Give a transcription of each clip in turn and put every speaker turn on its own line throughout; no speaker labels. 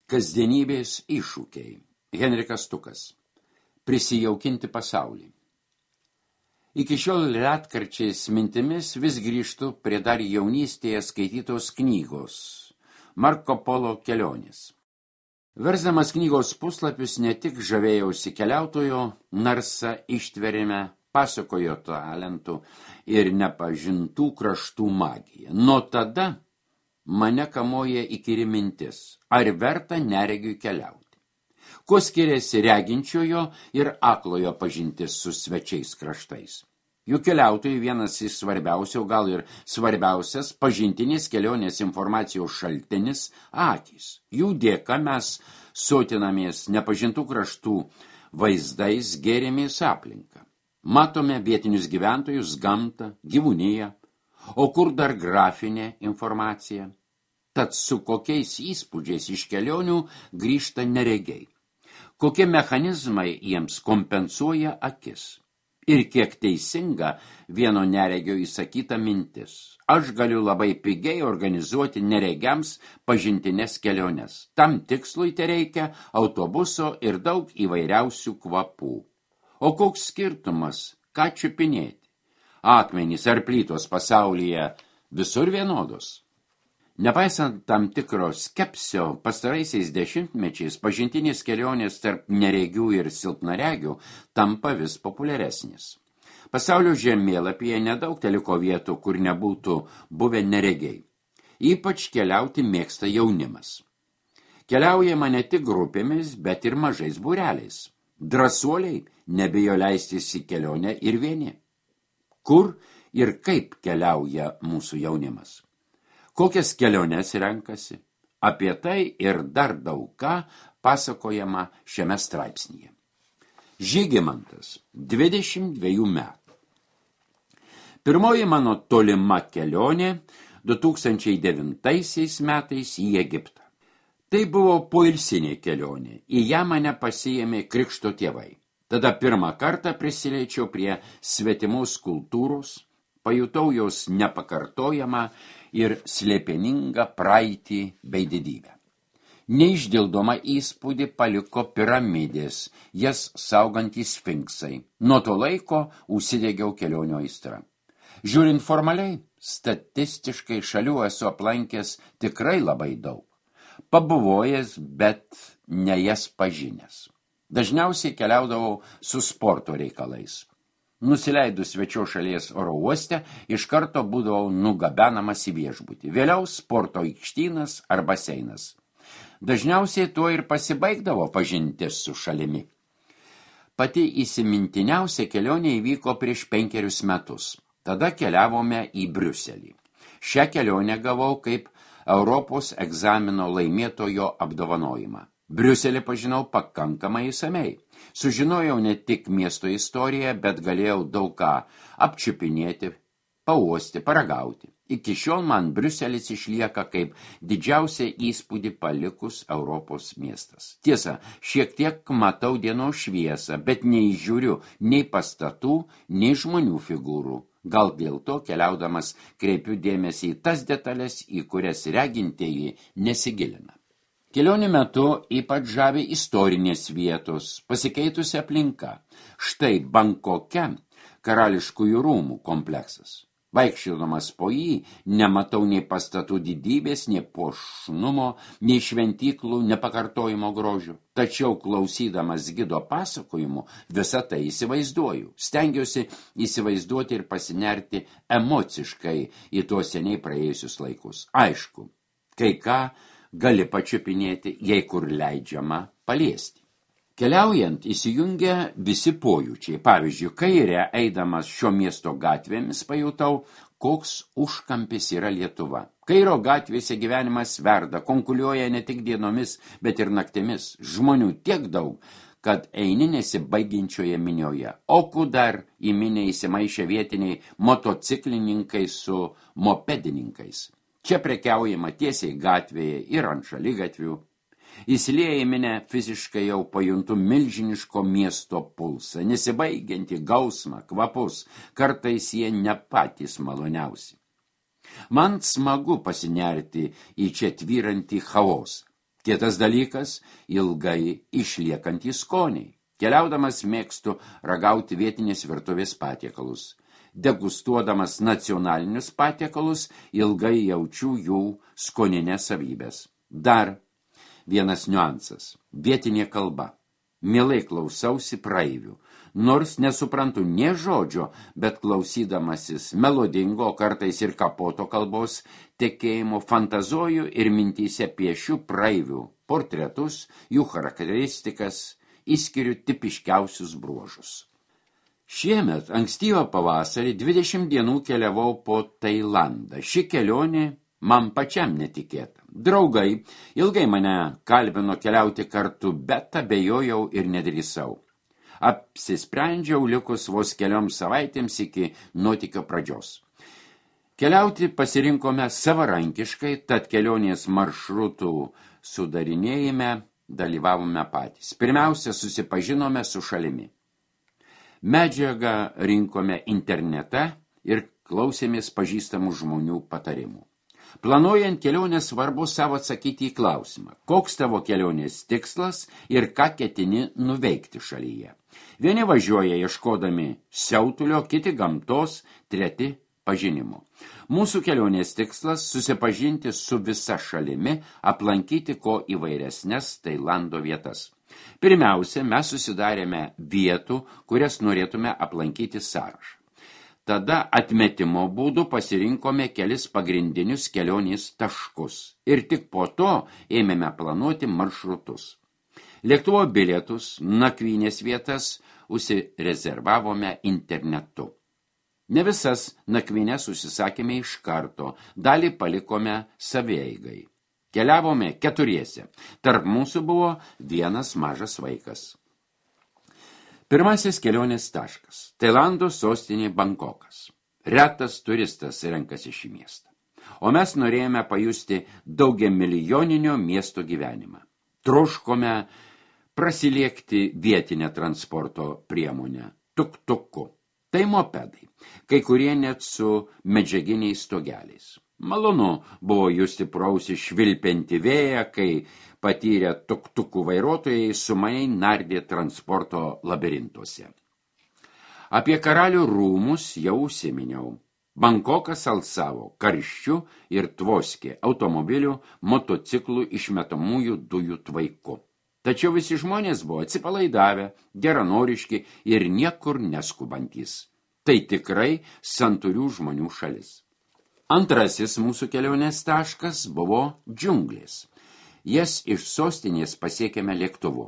Kasdienybės iššūkiai. Henrikas Stukas. Prisijaukinti pasaulį. Iki šiol retkarčiais mintimis vis grįžtu prie dar jaunystėje skaitytos knygos Marko Polo kelionės. Versdamas knygos puslapius ne tik žavėjausi keliautojo narsą ištverime, pasakojo talentų ir nepažintų kraštų magiją. Nuo tada mane kamoja įkyri mintis, ar verta neregiui keliauti. Kuo skiriasi reginčiojo ir aklojo pažintis su svečiais kraštais? Juk keliautojai vienas iš svarbiausių, gal ir svarbiausias pažintinės kelionės informacijos šaltinis akys. Jų dėka mes sotinamės nepažintų kraštų vaizdais, gėrimės aplinką. Matome vietinius gyventojus, gamtą, gyvūniją, o kur dar grafinė informacija? Tad su kokiais įspūdžiais iš kelionių grįžta neregiai? Kokie mechanizmai jiems kompensuoja akis? Ir kiek teisinga vieno neregio įsakyta mintis. Aš galiu labai pigiai organizuoti neregiams pažintinės keliones. Tam tikslui tereikia autobuso ir daug įvairiausių kvapų. O koks skirtumas, ką čiupinėti? Akmenys ar plytos pasaulyje visur vienodos. Nepaisant tam tikro skepsio, pastaraisiais dešimtmečiais pažintinės kelionės tarp neregių ir silpnaregių tampa vis populiaresnis. Pasaulio žemėlapyje nedaug teliko vietų, kur nebūtų buvę neregiai. Ypač keliauti mėgsta jaunimas. Keliaujama ne tik grupėmis, bet ir mažais būreliais. Drąsuoliai nebijo leistis į kelionę ir vieni. Kur ir kaip keliauja mūsų jaunimas? Kokias keliones renkasi? Apie tai ir dar daug ką pasakojama šiame straipsnyje. Žygimantas, 22 metų. Pirmoji mano tolima kelionė 2009 metais į Egiptą. Tai buvo poilsinė kelionė. Į ją mane pasiėmė krikšto tėvai. Tada pirmą kartą prisiliečiau prie svetimos kultūros, pajutau jos nepakartojamą ir slėpeningą praeitį bei didybę. Neišdildoma įspūdį paliko piramidės, jas saugantys sfinksai. Nuo to laiko užsidegiau kelionių aistra. Žiūrint formaliai, statistiškai šalių esu aplankęs tikrai labai daug. Pabuvojęs, bet ne jas pažinęs. Dažniausiai keliaudavau su sporto reikalais. Nusileidus svečio šalies oro uoste, iš karto būdavau nugabenamas į viešbutį. Vėliau sporto aikštynas ar baseinas. Dažniausiai tuo ir pasibaigdavo pažintis su šalimi. Pati įsimintiniausia kelionė įvyko prieš 5 metus. Tada keliavome į Briuselį. Šią kelionę gavau kaip Europos egzamino laimėtojo apdovanojimą. Briuselį pažinau pakankamai išsamiai. Sužinojau ne tik miesto istoriją, bet galėjau daug ką apčiupinėti, pauosti, paragauti. Iki šiol man Briuselis išlieka kaip didžiausia įspūdį palikus Europos miestas. Tiesa, šiek tiek matau dienos šviesą, bet neįžiūriu nei pastatų, nei žmonių figūrų. Gal dėl to keliaudamas kreipiu dėmesį į tas detalės, į kurias regintieji nesigilina. Kelionių metu ypač žavi istorinės vietos, pasikeitusi aplinka. Štai Bankoke karališkųjų rūmų kompleksas. Vaikščiodamas po jį nematau nei pastatų didybės, nei puošnumo, nei šventyklų nepakartojimo grožio. Tačiau klausydamas gido pasakojimų visą tai įsivaizduoju. Stengiuosi įsivaizduoti ir pasinerti emociškai į tuos seniai praėjusius laikus. Aišku, kai ką gali pačiupinėti, jei kur leidžiama paliesti. Keliaujant įsijungia visi pojūčiai. Pavyzdžiui, kairę eidamas šio miesto gatvėmis pajutau, koks užkampis yra Lietuva. Kairo gatvėse gyvenimas verda, konkuliuoja ne tik dienomis, bet ir naktimis. Žmonių tiek daug, kad eini nesibaigiančioje minioje. O dar į minę įsimaišę vietiniai motociklininkai su mopedininkais. Čia prekiaujama tiesiai gatvėje ir ant šaligatvių. Įsilieję į minę fiziškai jau pajuntu milžiniško miesto pulsą, nesibaigiantį gausmą, kvapus, kartais jie ne patys maloniausi. Man smagu pasinerti į čia tvyrantį chaosą. Kitas dalykas – ilgai išliekantys skoniai. Keliaudamas mėgstu ragauti vietinės virtuvės patiekalus. Degustuodamas nacionalinius patiekalus ilgai jaučiu jų skoninės savybės. Dar vienas niuansas – vietinė kalba. Mielai klausausi praeivių. Nors nesuprantu nė žodžio, bet klausydamasis melodingo, kartais ir kapoto kalbos tekėjimo fantazuoju ir mintyse piešiu praeivių portretus, jų charakteristikas, išskiriu tipiškiausius bruožus. Šiemet ankstyvą pavasarį 20 dienų keliavau po Tailandą. Ši kelionė man pačiam netikėta. Draugai ilgai mane kalbino keliauti kartu, bet abejojau ir nedrįsau. Apsisprendžiau likus vos kelioms savaitėms iki nuotykio pradžios. Keliauti pasirinkome savarankiškai, tad kelionės maršrutų sudarinėjime dalyvavome patys. Pirmiausia, susipažinome su šalimi. Medžiagą rinkome internete ir klausėmės pažįstamų žmonių patarimų. Planuojant kelionę svarbu savo atsakyti į klausimą, koks tavo kelionės tikslas ir ką ketini nuveikti šalyje. Vieni važiuoja ieškodami siautulio, kiti gamtos, treti pažinimo. Mūsų kelionės tikslas – susipažinti su visa šalimi, aplankyti ko įvairesnes Tailando vietas. Pirmiausia, mes susidarėme vietų, kurias norėtume aplankyti sąrašą. Tada atmetimo būdu pasirinkome kelis pagrindinius kelionės taškus ir tik po to ėmėme planuoti maršrutus. Lėktuvo bilietus, nakvynės vietas užsirezervavome internetu. Ne visas nakvynės užsisakėme iš karto, dalį palikome savieigai. Keliavome keturiese. Tarp mūsų buvo vienas mažas vaikas. Pirmasis kelionės taškas – Tailando sostinė Bankokas. Retas turistas renkasi šį miestą. O mes norėjome pajusti daugiamilijoninio miesto gyvenimą. Troškome prasiliekti vietinę transporto priemonę – tuk-tuku. Tai mopedai, kai kurie net su medžiaginiais stogeliais. Malonu buvo justi prausi švilpianti vėją, kai patyrę tuk-tukų vairuotojai sumaniai nardė transporto labirintuose. Apie karalių rūmus jau užsiminiau. Bankokas alsavo karščiu ir tvoskė automobilių, motociklų išmetamųjų dujų tvaiku. Tačiau visi žmonės buvo atsipalaidavę, geranoriški ir niekur neskubantys. Tai tikrai santūrių žmonių šalis. Antrasis mūsų kelionės taškas buvo džiunglės. Jas iš sostinės pasiekėme lėktuvu.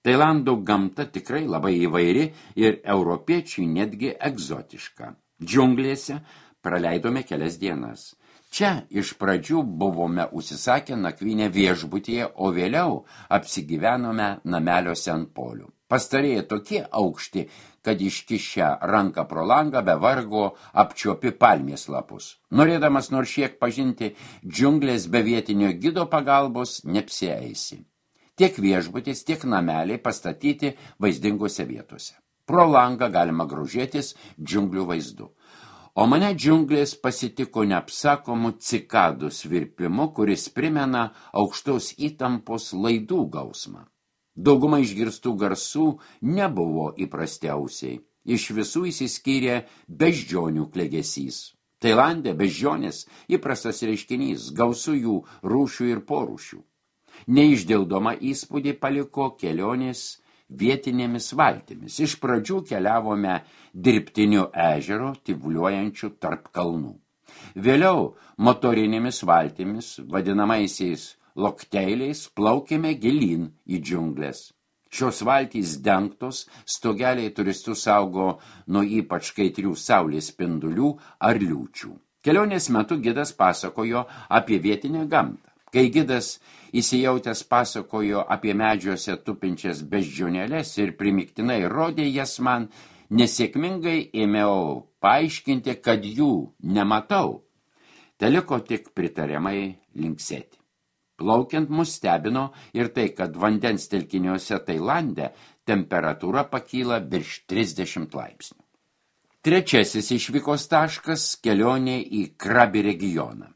Tailando gamta tikrai labai įvairi ir europiečiui netgi egzotiška. Džiunglėse praleidome kelias dienas. Čia iš pradžių buvome užsisakę nakvynę viešbutyje, o vėliau apsigyvenome nameliuose ant polių. Pastarėjai tokie aukšti, kad iškišę ranką pro langą be vargo apčiuopi palmės lapus. Norėdamas nors šiek pažinti džiunglės be vietinio gido pagalbos neapsieisi. Tiek viešbutis, tiek nameliai pastatyti vaizdingose vietose. Pro langą galima grožėtis džiunglių vaizdu. O mane džiunglės pasitiko neapsakomų cikadų svirpimu, kuris primena aukštos įtampos laidų gausmą. Dauguma išgirstų garsų nebuvo įprastiausiai. Iš visų išsiskyrė beždžionių klegesys. Tailande beždžionės įprastas reiškinys, gausu jų rūšių ir porūšių. Neišdildoma įspūdį paliko kelionės vietinėmis valtimis. Iš pradžių keliavome dirbtiniu ežero, tyvuliuojančiu tarp kalnų. Vėliau motorinėmis valtimis, vadinamaisiais lokteiliais, plaukėme gilyn į džiunglės. Šios valtys dengtos, stogeliai turistus saugo nuo ypač kaitrių saulės spindulių ar liūčių. Kelionės metu gidas pasakojo apie vietinę gamtą. Kai gidas įsijautęs pasakojo apie medžiuose tupinčias beždžionėles ir primiktinai rodė jas man, nesėkmingai ėmiau paaiškinti, kad jų nematau. Teliko tik pritariamai linksėti. Plaukiant mus stebino ir tai, kad vandens telkiniuose Tailande temperatūra pakyla virš 30 laipsnių. Trečiasis išvykos taškas – kelionė į Krabi regioną.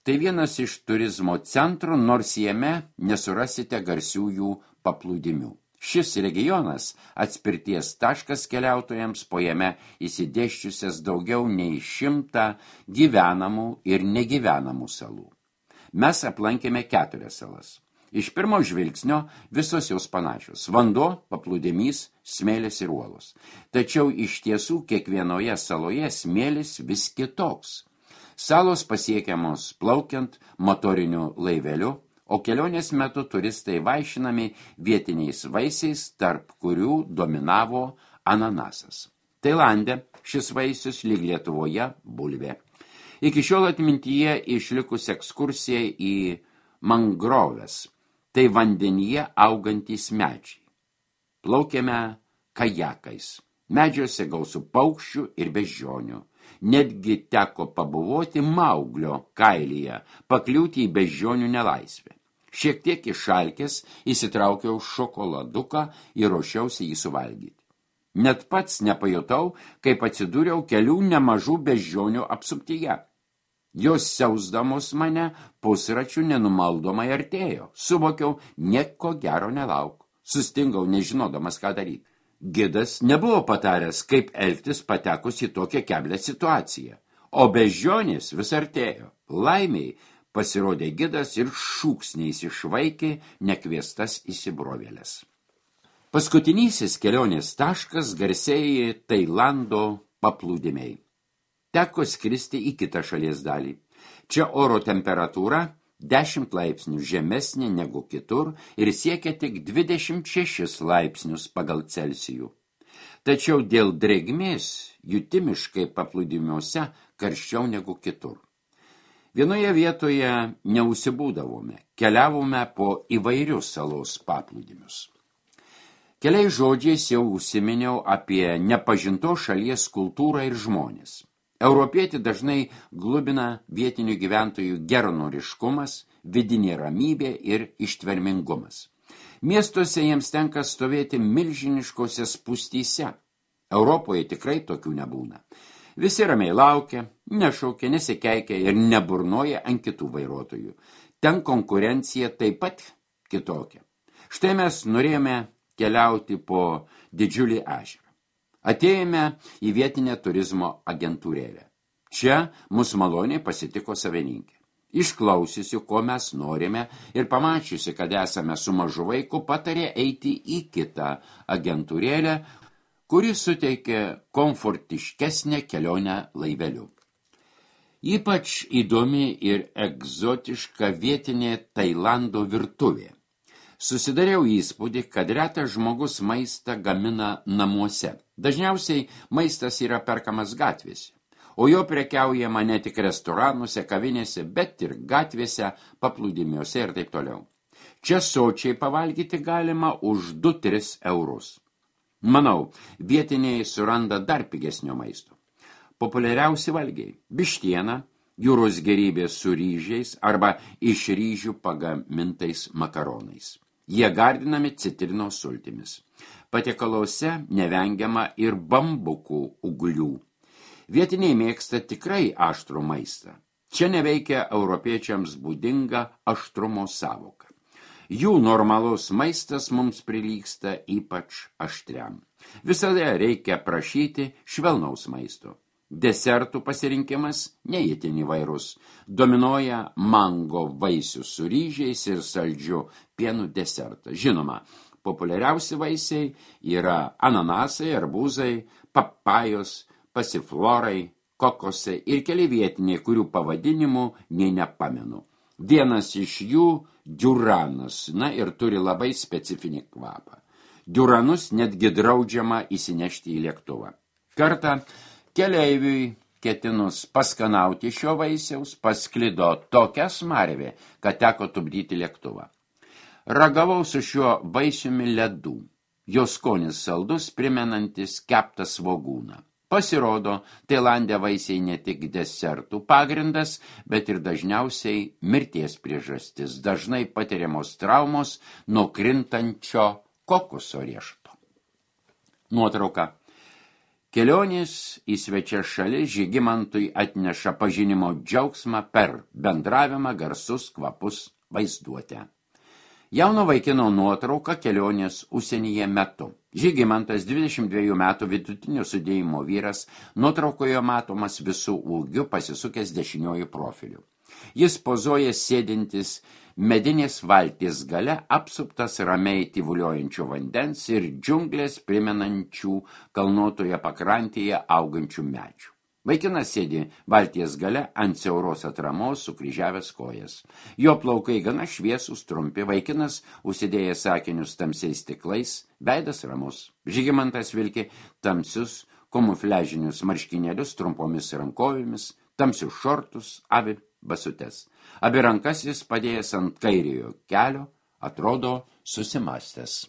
Tai vienas iš turizmo centrų, nors jame nesurasite garsiųjų paplūdimių. Šis regionas atspirties taškas keliautojams, po jame įsidėsčiusias daugiau nei 100 gyvenamų ir negyvenamų salų. Mes aplankėme 4 salas. Iš pirmo žvilgsnio visos jos panašios. Vanduo, paplūdimys, smėlis ir uolos. Tačiau iš tiesų kiekvienoje saloje smėlis vis kitoks. Salos pasiekiamos plaukiant motoriniu laiveliu, o kelionės metu turistai vaišinami vietiniais vaisiais, tarp kurių dominavo ananasas. Tailande šis vaisius lyg Lietuvoje bulvė. Iki šiol atmintyje išlikus ekskursija į mangroves, tai vandenyje augantys medžiai. Plaukėme kajakais. Medžiuose gausu paukščių ir beždžionių. Netgi teko pabuvoti Mauglio kailyje, pakliūti į beždžionių nelaisvę. Šiek tiek išalkęs įsitraukiau šokoladuką ir ruošiausi jį suvalgyti. Net pats nepajutau, kaip atsidūriau kelių nemažų beždžionių apsuptyje. Jos siausdamos mane pusračių nenumaldomai artėjo. Suvokiau, nieko gero nelauk. Sustingau, nežinodamas, ką daryti. Gidas nebuvo pataręs, kaip elgtis patekus į tokią keblią situaciją, o beždžionės vis artėjo. Laimiai pasirodė gidas ir šūksniais išvaikė nekviestas įsibrovėlės. Paskutinysis kelionės taškas garsėja Tailando paplūdimiai. Teko skristi į kitą šalies dalį. Čia oro temperatūra 10 laipsnių žemesnė negu kitur ir siekia tik 26 laipsnius pagal Celsijų. Tačiau dėl drėgmės jutimiškai paplūdimiuose karščiau negu kitur. Vienoje vietoje neusibūdavome, keliavome po įvairius salos paplūdimius. Keliais žodžiais jau užsiminiau apie nepažintos šalies kultūrą ir žmonės. Europietį dažnai glubina vietinių gyventojų geranoriškumas, vidinė ramybė ir ištvermingumas. Miestuose jiems tenka stovėti milžiniškose spūstyse. Europoje tikrai tokių nebūna. Visi ramiai laukia, nešaukia, nesikeikia ir neburnoja ant kitų vairuotojų. Ten konkurencija taip pat kitokia. Štai mes norėjome keliauti po didžiulį ežerą. Atėjome į vietinę turizmo agentūrėlę. Čia mus maloniai pasitiko savininkė. Išklausiusi, ko mes norime ir pamačiusi, kad esame su mažu vaiku, patarė eiti į kitą agentūrėlę, kuri suteikė komfortiškesnę kelionę laiveliu. Ypač įdomi ir egzotiška vietinė Tailando virtuvė. Susidariau įspūdį, kad retas žmogus maistą gamina namuose. Dažniausiai maistas yra perkamas gatvėse, o jo prekiaujama ne tik restoranuose, kavinėse, bet ir gatvėse, paplūdimiuose ir taip toliau. Čia sočiai pavalgyti galima už 2-3 eurus. Manau, vietiniai suranda dar pigesnio maisto. Populiariausi valgiai – vištiena, jūros gėrybės su ryžiais arba iš ryžių pagamintais makaronais. Jie gardinami citrinos sultimis. Patiekaluose nevengiama ir bambukų ūglių. Vietiniai mėgsta tikrai aštrų maistą. Čia neveikia europiečiams būdinga aštrumo sąvoka. Jų normalus maistas mums prilygsta ypač aštriam. Visada reikia prašyti švelnaus maisto. Desertų pasirinkimas neįtin įvairus. Dominuoja mango vaisių su ryžiais ir saldžiu pienu desertą. Žinoma, populiariausi vaisiai yra ananasai, arbūzai, papajos, pasiflorai, kokosai ir keli vietiniai, kurių pavadinimų nei nepamenu. Vienas iš jų diuranas, ir turi labai specifinį kvapą. Diuranus netgi draudžiama įsinešti į lėktuvą. Kartą keleiviui ketinus paskanauti šio vaisiaus pasklido tokia smarvė, kad teko tupdyti lėktuvą. Ragavau su šiuo vaisiumi ledų. Jo skonis saldus, primenantis keptą svogūną. Pasirodo, Tailande vaisiai ne tik desertų pagrindas, bet ir dažniausiai mirties priežastis, dažnai patiriamos traumos nuo krintančio kokoso riešuto. Nuotrauka. Kelionės į svečias šalis Žygimantui atneša pažinimo džiaugsmą per bendravimą, garsus, kvapus, vaizduotę. Jauno vaikino nuotrauka kelionės užsienyje metu. Žygimantas 22 metų vidutinio sudėjimo vyras, nuotraukoje matomas visų ūgiu pasisukęs dešiniuoju profiliu. Jis pozuoja sėdintis medinės valties gale, apsuptas ramiai tyvuliojančio vandens ir džiunglės primenančių kalnuotoje pakrantėje augančių medžių. Vaikinas sėdi valties gale ant siauros atramos sukryžiavęs kojas. Jo plaukai gana šviesūs, trumpi, vaikinas užsidėjęs akinius tamsiais stiklais, veidas ramus. Žygimantas vilki tamsius kamufliažinius marškinėlius trumpomis rankovėmis, tamsius šortus, avi basutes. Abi rankas jis padėjęs ant kairiojo kelio, atrodo susimąstęs.